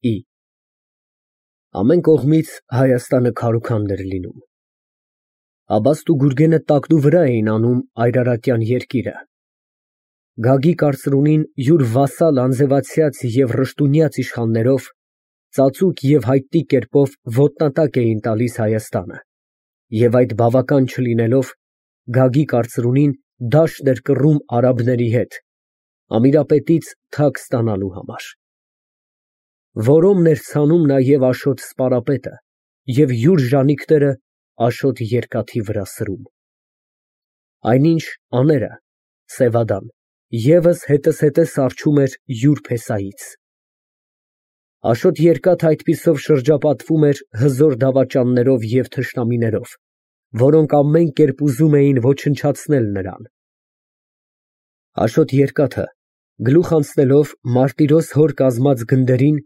Ի ամեն կողմից Հայաստանը քարուքանդ էր լինում։ Աբաստ ու Գուրգենը տակնուվրա էին անում այրարատյան երկիրը։ Գագիկ արծրունին յուր վասալ անձևացյաց և ռշտունյաց իշխաններով ծածուկ և հայտնի կերպով ոտնատակ էին տալիս Հայաստանը, և այդ բավական չլինելով, Գագիկ արծրունին դաշտ էր կռում արաբների հետ, Ամիրապետից թագ ստանալու համար։ Որոմն էր ցանում նաև Աշոտ սպարապետը և յուր ժանիքները Աշոտ երկաթի վրա սրում։ Այնինչ աները (Սևադան) ևս հետզհետե սառչում էր յուր փեսայից։ Աշոտ երկաթը այդպիսով շրջապատվում էր հզոր դավաճաններով և թշնամիներով, որոնք ամեն կերպ ուզում էին ոչնչացնել նրան։ Աշոտ երկաթը, գլուխ անցնելով Մարտիրոս հոր կազմած գնդերին,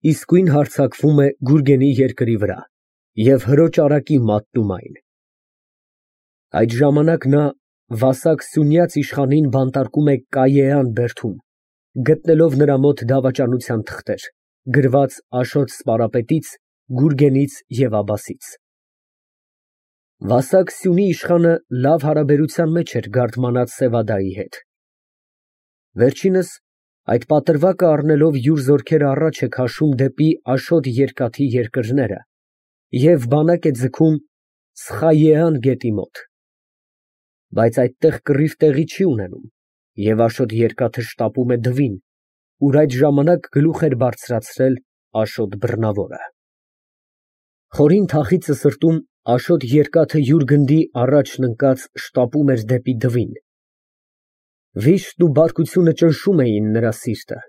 իսկույն հարձակվում է Գուրգենի երկրի վրա և հրոճ արակի մատնում այն։ Այդ ժամանակ նա Վասակ Սյունյաց իշխանին բանտարկում է Կայեան բերդում, գտնելով նրա մոտ դավաճանության թղթեր, գրված Աշոտ սպարապետից, Գուրգենից և Աբասից։ Վասակ Սյունի իշխանը լավ հարաբերության մեջ էր Գարդմանած Սևադայի հետ։ Վերջինս այդ պատրվակը առնելով յուր զորքերը առաջ է քաշում դեպի Աշոտ երկաթի երկրները և բանակ է ձգում Սխայեան գետի մոտ։ Բայց այդտեղ կռիվ տեղի չի ունենում, և Աշոտ երկաթը շտապում է Դվին, ուր այդ ժամանակ գլուխ էր բարձրացրել Աշոտ բռնավորը։ Խորին թախիծը սրտում Աշոտ երկաթը յուր գնդի առաջն ընկած շտապում էր դեպի Դվին։ Վիշտն ու բարկությունը ճնշում էին նրա սիրտը։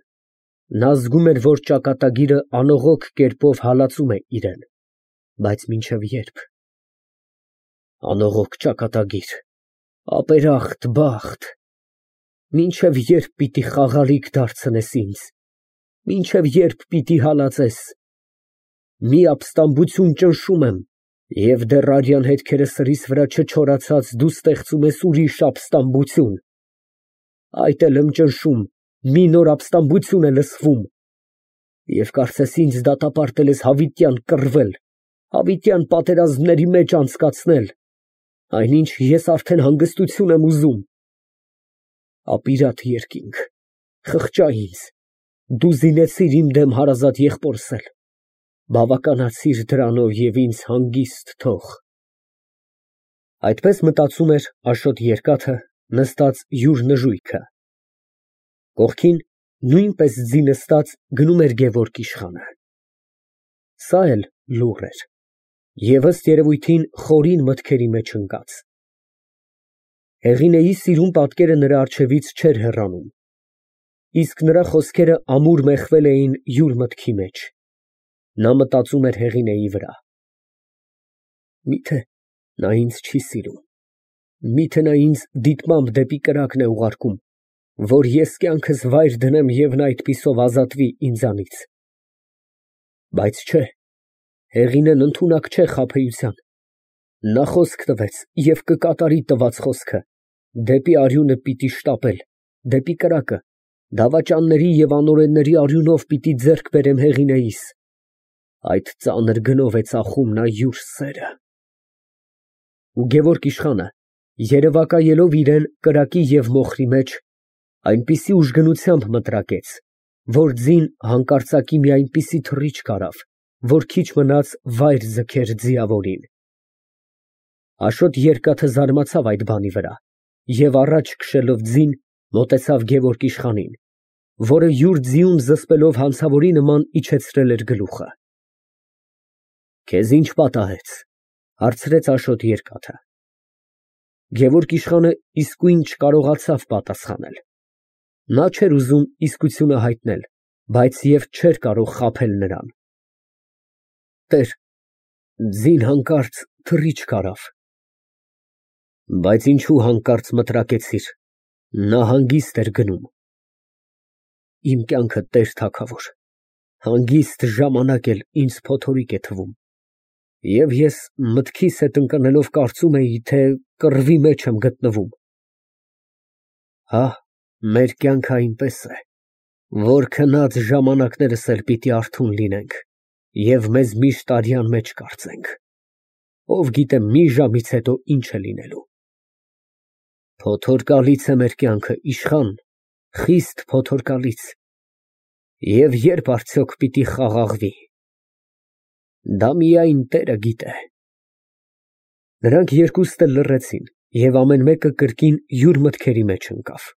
Նա զգում էր, որ ճակատագիրը անողոք կերպով հալածում է իրան, բայց մինչև ե՞րբ։ Անողոք ճակատագիր, ապերախտ բախտ, մինչև ե՞րբ պիտի խաղալիք դարձնես ինձ, մինչև ե՞րբ պիտի հալածես։ Մի ապստամբություն ճնշում եմ, և դեռ արյան հետքերը սրիս վրա չչորացած դու ստեղծում ես ուրիշ ապստամբություն։ Այդ էլ եմ ճնշում, մի նոր ապստամբություն է լսվում, և կարծես ինձ դատապարտել ես հավիտյան կռվել, հավիտյան պատերազմների մեջ անցկացնել, այնինչ ես արդեն հանգստություն եմ ուզում։ Ապիրատ երկինք, խղճա ինձ, դու զինեցիր իմ դեմ հարազատ եղբորս էլ, բավականացիր դրանով և ինձ հանգիստ թող։ Այդպես մտածում էր Աշոտ երկաթը, նստած յուր նժույգը։ Կողքին, նույնպես ձի նստած, գնում էր Գևորգ իշխանը։ Սա էլ լուռ էր և ըստ երևույթին խորին մտքերի մեջ ընկած։ Հեղինեի սիրուն պատկերը նրա առջևից չէր հեռանում, իսկ նրա խոսքերը ամուր մեխվել էին յուր մտքի մեջ։ Նա մտածում էր Հեղինեի վրա։ Միթե նա ինձ չի սիրում, միթե նա ինձ դիտմամբ դեպի կրակն է ուղարկում, որ ես կյանքս վայր դնեմ և նա այդպիսով ազատվի ինձանից։ Բայց չէ, Հեղինեն ընդունակ չէ խաբեության։ Նա խոսք տվեց և կկատարի տված խոսքը, դեպի արյունը պիտի շտապել, դեպի կրակը, դավաճանների և անօրենների արյունով պիտի ձեռք բերեմ Հեղինեիս։ Այդ ծանր գնով է ծախում նա յուր սերը։ Ու Գևորգ իշխանը, երևակայելով իրան կրակի և մոխրի մեջ, այնպիսի ուժգնությամբ մտրակեց, որ ձին հանկարծակի մի այնպիսի թռիչք արավ, որ քիչ մնաց վայր ձգեր ձիավորին։ Աշոտ երկաթը զարմացավ այդ բանի վրա և առաջ քշելով ձին, մոտեցավ Գևորգ իշխանին, որը յուր ձիուն զսպելով հանցավորի նման իջեցրել էր գլուխը։ Քեզ ի՞նչ պատահեց, ֊ հարցրեց Աշոտ երկաթը։ Գևորգ իշխանը իսկույն չկարողացավ պատասխանել։ Նա չէր ուզում իսկությունը հայտնել, բայց և չէր կարող խաբել նրան։ Տեր, ձին հանկարծ թռիչք արավ։ Բայց ինչու հանկարծ մտրակեցիր, նա հանգիստ էր գնում։ Իմ կյանքը, տեր թագավոր, հանգիստ ժամանակ էլ ինձ փոթորիկ է թվում, և ես մտքիս հետ ընկնելով կարծում էի, թե կռվի մեջ եմ գտնվում։ Հա, մեր կյանքը այնպես է, Որ քնած ժամանակներս էլ պիտի արթուն լինենք և մեզ միշտ արյան մեջ կարծենք, ով գիտե մի ժամից հետո ինչ է լինելու։ Փոթորկալից է մեր կյանքը, իշխան, խիստ փոթորկալից, և երբ արդյոք պիտի խաղաղվի, դա միայն Տերը գիտե։ Նրանք երկուստ էլ լռեցին, և ամեն մեկը կրկին յուր մտքերի մեջ ընկավ։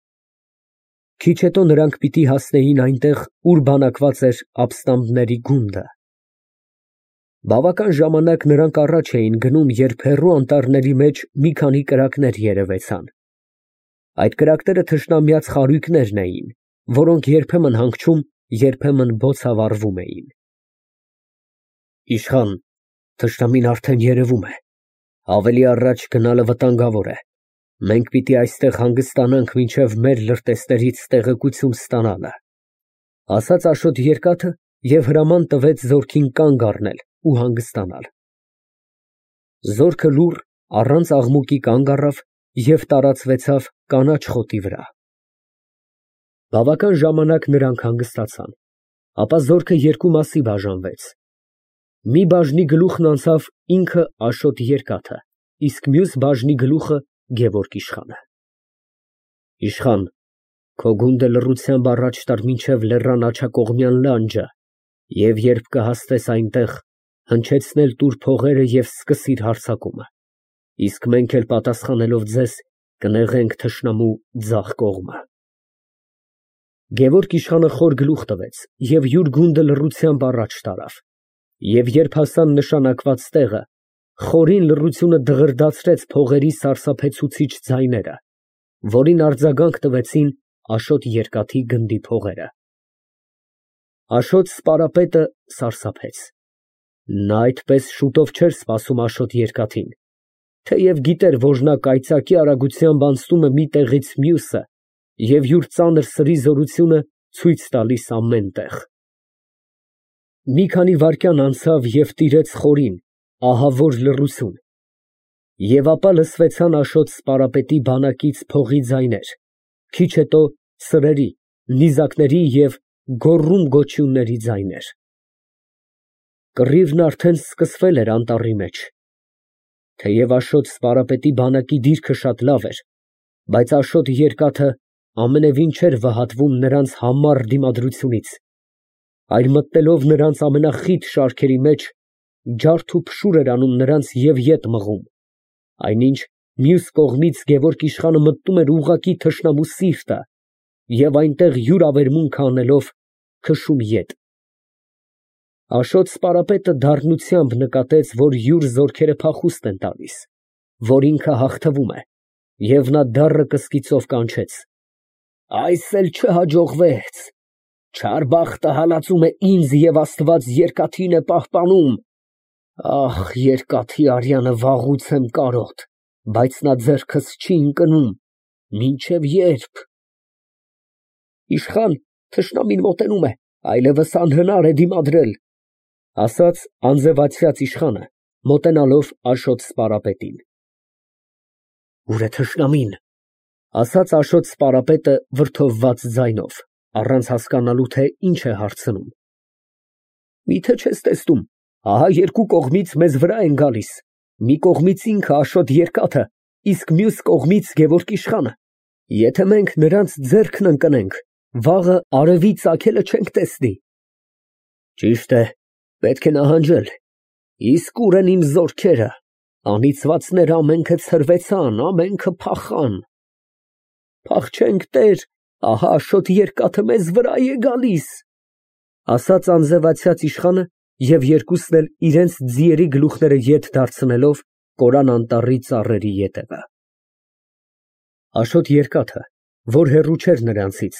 Քիչ հետո նրանք պիտի հասնեին այնտեղ, ուր բանակված էր աբստամբների գունդը։ Բավական ժամանակ նրանք առաջ էին գնում, երբ հեռու անտառների մեջ մի քանի կրակներ երևեցան։ Այդ կրակները թշնամյաց խարույկներն էին, որոնք երբեմն հանգչում, երբեմն բոցավառվում էին։ Իշխան, թշնամին արդեն երևում է, ավելի առաջ գնալը վտանգավոր է, մենք պիտի այստեղ հանգստանանք մինչև մեր լրտեսներից տեղեկություն ստանալը, ասաց Աշոտ Երկաթը և հրաման տվեց զորքին կանգ առնել ու հանգստանալ։ Զորքը լուռ, առանց աղմուկի կանգ առավ և տարածվեցավ կանաչ խոտի վրա։ Բավական ժամանակ նրանք հանգստացան, ապա զորքը երկու մասի բաժանվեց։ Մի բաժնի գլուխն անցավ ինքը Աշոտ Երկաթը, իսկ մյուս բաժնի գլուխը Գևորգ իշխանը։ Իշխան, քո գունդը լռությամբ առաջ տար մինչև լեռան աջակողմյան լանջը և երբ կհասնես այնտեղ, հնչեցնել տուր փողերը և սկսիր հարձակումը, իսկ մենք էլ պատասխանելով ձեզ կնեղենք թշնամու ձախ կողմը։ Գևորգ իշխանը խոր գլուխ տվեց և յուր գունդը լռությամբ առաջ տարավ, և երբ հասան նշանակված տեղը, խորին լռությունը դղրդացրեց փողերի սարսափեցուցիչ ձայները, որին արձագանք տվեցին Աշոտ Երկաթի գնդի փողերը։ Աշոտ սպարապետը սարսափեց։ Նա այդպես շուտով չէր սպասում Աշոտ Երկաթին, թեև գիտեր, որ նա կայծակի արագությամբ անցնում է մի տեղից մյուսը և յուր ծանր սրի զորությունը ցույց տալիս ամեն տեղ։ Մի քանի վայրկյան անցավ և տիրեց խորին, ահավոր լռություն, և ապա լսվեցան Աշոտ սպարապետի բանակից փողի ձայներ, քիչ հետո սրերի, նիզակների և գոռում֊գոչյունների ձայներ։ Կռիվն արդեն սկսվել էր անտառի մեջ։ Թեև Աշոտ սպարապետի բանակի դիրքը շատ լավ էր, բայց Աշոտ Երկաթը ամենևին չէր վհատվում նրանց համառ դիմադրությունից, այլ մտնելով նրանց ամենախիտ շարքերի մեջ, ջարդ ու փշուր էր անում նրանց և ետ մղում, այնինչ մյուս կողմից Գևորգ իշխանը մտնում էր ուղղակի թշնամու սիրտը և այնտեղ յուր ավերմունքը անելով քշում ետ։ Աշոտ սպարապետը դառնությամբ նկատեց, որ յուր զորքերը փախուստ են տալիս, որ ինքը հաղթվում է, և նա դառը կսկիծով կանչեց. «Այս էլ չհաջողվեց, չար բախտը հալածում է ինձ և Աստված Երկաթին է պահպանում։ Ախ, Երկաթի արյանը վաղուց եմ կարոտ, բայց նա ձեռքս չի ընկնում, մինչև ե՞րբ»։ Իշխան, թշնամին մոտենում է, այլևս անհնար է դիմադրել, ասաց անձևացյաց իշխանը, մոտենալով Աշոտ սպարապետին։ Ո՞ւր է թշնամին, ասաց Աշոտ սպարապետը վրդովված ձայնով, առանց հասկանալու, թե ինչ է հարցնում։ Մի՞թե չես տեսնում, ահա երկու կողմից մեզ վրա են գալիս, մի կողմից ինքը Աշոտ Երկաթը, իսկ մյուս կողմից Գևորգ իշխանը։ Եթե մենք նրանց ձեռքն ընկնենք, վաղը արևի ծագելը չենք տեսնի։ Ճիշտ է, պետք է նահանջել, իսկ ո՞ւր են իմ զորքերը, անիծվածները ամենքը ցրվեցան, ամենքը փախան։ Փախչենք, տեր, ահա Աշոտ Երկաթը մեզ վրա է գալիս, ասաց անձևացյաց իշխանը և երկուսն էլ իրենց ձիերի գլուխները ետ դարձնելով կորան անտառի ծառերի ետևը։ Աշոտ Երկաթը, որ հեռու չէր նրանցից,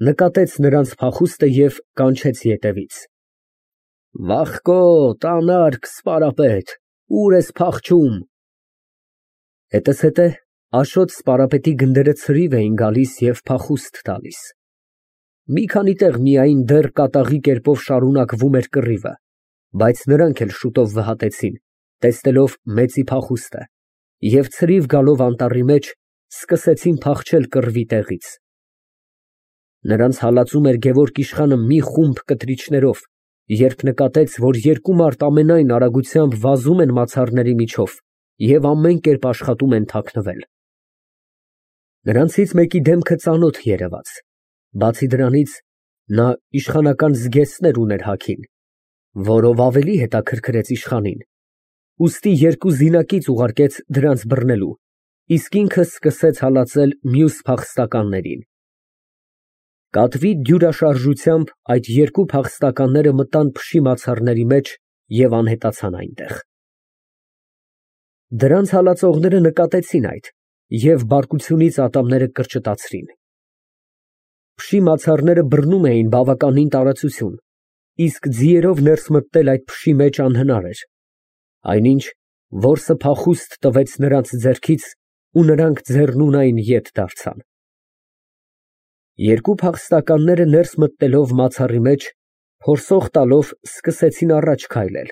նկատեց նրանց փախուստը և կանչեց ետևից. Վախկոտ, անարգ սպարապետ, ո՞ւր ես փախչում։ Հետզհետե Աշոտ սպարապետի գնդերը ցրիվ էին գալիս և փախուստ տալիս։ Մի քանի տեղ միայն դեռ կատաղի կերպով շարունակվում էր կռիվը, բայց նրանք էլ շուտով վհատեցին, տեսնելով մեծի փախուստը, և ցրիվ գալով անտառի մեջ, սկսեցին փախչել կռվի տեղից։ Նրանց հալածում էր Գևորգ իշխանը մի խումբ կտրիչներով, երբ նկատեց, որ երկու մարդ ամենայն արագությամբ վազում են մացառների միջով և ամեն կերպ աշխատում են թաքնվել։ Նրանցից մեկի դեմքը ծանոթ երևաց, բացի դրանից նա իշխանական զգեստներ ուներ հագին, որով ավելի հետաքրքրեց իշխանին, ուստի երկու զինակից ուղարկեց դրանց բռնելու, իսկ ինքը սկսեց հալածել մյուս փախստականներին։ Կատվի դյուրաշարժությամբ այդ երկու փախստականները մտան փշի մացառների մեջ և անհետացան այնտեղ։ Դրանց հալածողները նկատեցին այդ և բարկությունից ատամները կրճտացրին։ Փշի մացառները բռնում էին բավականին տարածություն, իսկ ձիերով ներս մտնել այդ փշի մեջ անհնար էր, այնինչ որսը փախուստ տվեց նրանց ձեռքից ու նրանք ձեռնունայն ետ դարձան։ Երկու փախստականները ներս մտնելով մացառի մեջ, փորսող տալով սկսեցին առաջ քայլել։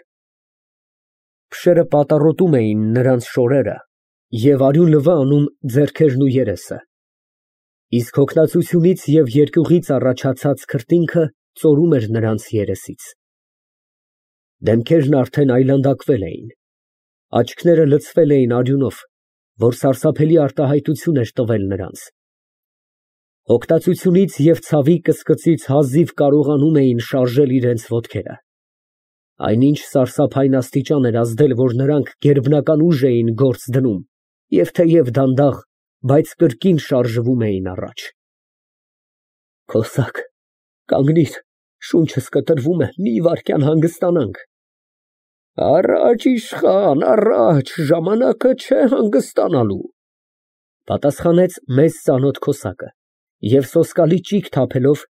Փշերը պատառոտում էին նրանց շորերը և արյուն լվա անում ձեռքերն ու երեսը, իսկ հոգնածությունից և երկյուղից առաջացած քրտինքը ծորում էր նրանց երեսից։ Դեմքերն արդեն այլանդակվել էին, աչքները լցվել էին արյունով, որ սարսափելի արտահայտություն էր տվել նրանց։ Հոգնածությունից և ցավի կսկծից հազիվ կարողանում էին շարժել իրենց ոտքերը, այնինչ սարսափային աստիճան էր ազդել, որ նրանք գերբնական ուժ էին գործ դնում և թեև դանդաղ, բայց կրկին շարժվում էին առաջ։ Քոսակ, կանգնիր, շունչս կտրվում է, մի վայրկյան հանգստանանք։ Առաջ, իշխան, առաջ, ժամանակը չէ հանգստանալու, պատասխանեց մեզ ծանոթ քոսակը և սոսկալի ճիգ թափելով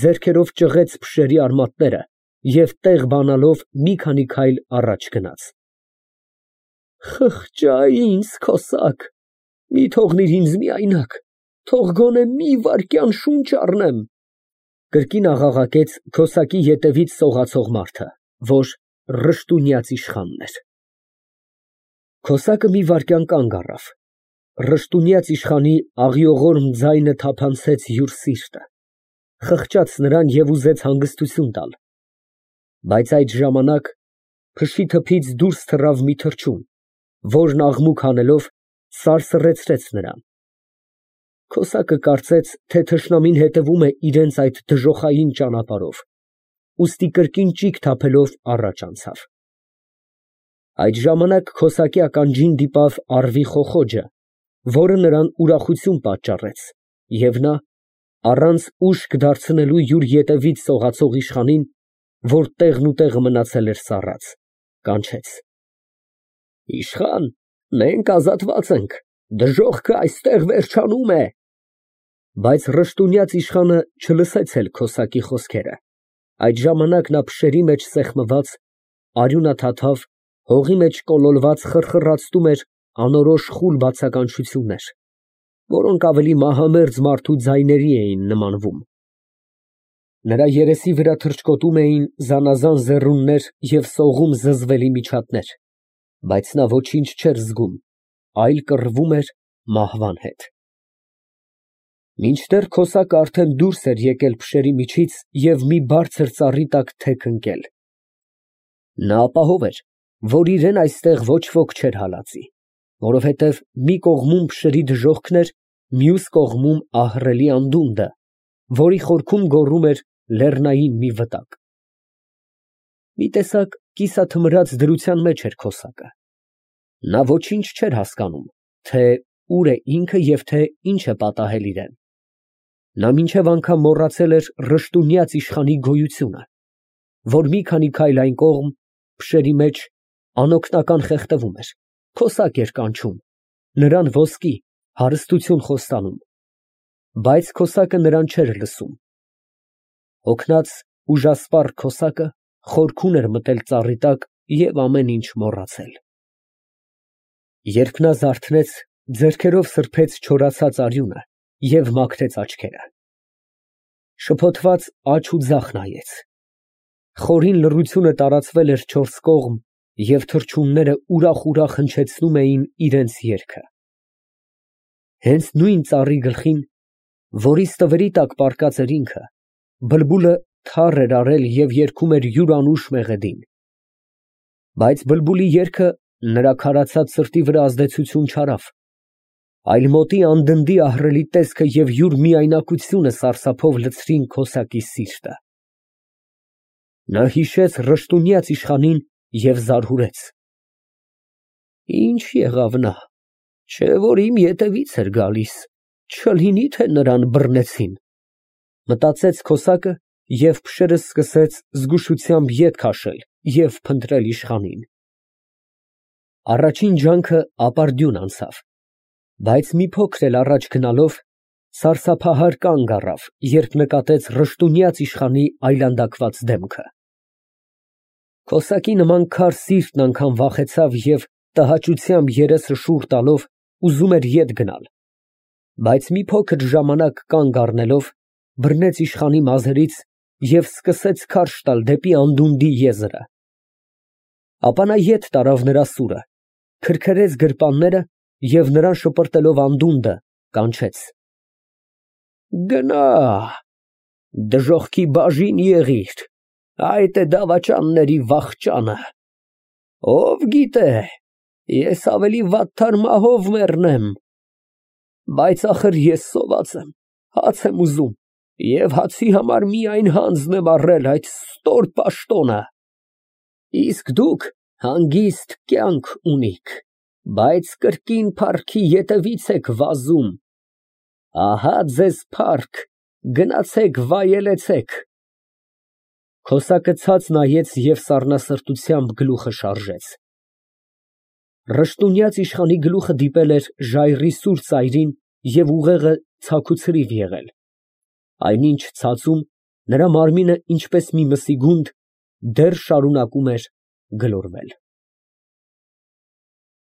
ձեռքերով ճղեց փշերի արմատները և տեղ բանալով մի քանի քայլ առաջ գնաց։ Խղճա ինձ, քոսակ, մի թողնիր ինձ միայնակ, թող գոնե մի վայրկյան շունչ առնեմ, կրկին աղաղակեց քոսակի ետևից սողացող մարդը, որ Ռշտունյաց իշխանն էր։ Քոսակը մի վայրկյան կանգ առավ, Ռշտունյաց իշխանի աղիողորմ ձայնը թափանցեց յուր սիրտը, խղճաց նրան և ուզեց հանգստություն տալ, բայց այդ ժամանակ փշի թփից դուրս թռավ մի թռչուն, որն աղմուկ հանելով սարսռեցրեց նրան։ Քոսակը կարծեց, թե թշնամին հետևում է իրենց այդ դժոխային ճանապարհով, ուստի կրկին ճիգ թափելով առաջ անցավ։ Այդ ժամանակ քոսակի ականջին դիպավ առվի խոխոջը, որը նրան ուրախություն պատճառեց, և նա, առանց ուշք դարձնելու յուր ետևից սողացող իշխանին, որ տեղնուտեղը մնացել էր սառած, կանչեց. Իշխան, մենք ազատված ենք, դժոխքը այստեղ վերջանում է։ Բայց Ռշտունյաց իշխանը չլսեց էլ քոսակի խոսքերը, այդ ժամանակ նա փշերի մեջ սեղմված, արյունաթաթավ, հողի մեջ կոլորված խռխռացնում էր անորոշ խուլ բացականչություններ, որոնք ավելի մահամերձ մարդու ձայների էին նմանվում։ Նրա երեսի վրա թռչկոտում էին զանազան զեռուններ և սողում զզվելի միջատներ, բայց նա ոչինչ չէր զգում, այլ կռվում էր մահվան հետ։ Մինչդեռ քոսակը արդեն դուրս էր եկել փշերի միջից և մի բարձր ծառի տակ թեք ընկել։ Նա ապահով էր, որ իրան այստեղ ոչ ոք չէր հալածի, որովհետև մի կողմում փշերի դժոխքն էր, մյուս կողմում ահռելի անդունդը, որի խորքում գոռում էր լեռնային մի վտակ։ Մի տեսակ կիսաթմրած դրության մեջ էր քոսակը։ Նա ոչինչ չէր հասկանում, թե ուր է ինքը և թե ինչ է պատահել իրան։ Նա մինչև անգամ մոռացել էր Ռշտունյաց իշխանի գոյությունը, որ մի քանի քայլ այն կողմ, փշերի մեջ, անօգնական խեղդվում էր, քոսակ էր կանչում, նրան ոսկի, հարստություն խոստանում, բայց քոսակը նրան չէր լսում։ Հոգնած, ուժասպառ քոսակը խորքում էր մտել ծառի տակ և ամեն ինչ մոռացել։ Երբ նա զարթնեց, ձեռքերով սրբեց չորացած արյունը և մաքրեց աչքերը։ Շփոթված աջ ու ձախ նայեց։ Խորին լռությունը տարածվել էր չորս կողմ և թռչունները ուրախ հնչեցնում էին իրենց երգը։ Հենց նույն ծառի գլխին որի ստվերի տակ պառկած էր ինքը, բլբուլը թառ էր արել և երգում էր յուրանուշ մեղեդին, բայց բլբուլի երգը նրա քարացած սրտի վրա ազդեցություն չարավ, այլ մոտի անդնդի ահռելի տեսքը և յուր միայնակությունը սարսափով լցրին քոսակի սիրտը։ Նա հիշեց ռշտունյաց իշխանին և զարհուրեց. «Ինչ եղավ նա, չէ՞ որ իմ ետևից էր գալիս, չլինի թե նրան բռնեցին», մտածեց քոսակը և փշերն սկսեց զգուշությամբ ետ քաշել և փնտրել իշխանին։ Առաջին ջանքը ապարդյուն անցավ, բայց մի փոքր էլ առաջ գնալով սարսափահար կանգ առավ, երբ նկատեց ռշտունյաց իշխանի այլանդակված դեմքը։ Քոսակի նման քար սիրտն անգամ վախեցավ և տհաճությամբ երեսը շուռ տալով ուզում էր ետ գնալ, բայց մի փոքր ժամանակ կանգ առնելով, բռնեց իշխանի մազերից և սկսեց քարշ տալ դեպի անդունդի եզրը։ Ապա նա ետ տարավ նրա սուրը, քրքրեց գրպանները և նրան շպրտելով անդունդը, կանչեց. «Գնա, դժոխքի բաժին եղիր, այդ է դավաճանների վախճանը, ով գիտե, ես ավելի վատթար մահով մեռնեմ, բայց ախր ես սոված եմ, հաց եմ ուզում և հացի համար միայն հանձն եմ առել այդ ստոր պաշտոնը, իսկ դուք հանգիստ կյանք ունիք, բայց կրկին փառքի ետևից եք վազում, ահա ձեզ փառք, գնացեք վայելեցեք»։ Քոսակը ցած նայեց և սառնասրտությամբ գլուխը շարժեց։ Ռշտունյաց իշխանի գլուխը դիպել էր ժայռի սուր ծայրին և ուղեղը ցաքուցրիվ եղել, այնինչ ցածում նրա մարմինը ինչպես մի մսի գունդ դեռ շարունակում էր գլորվել։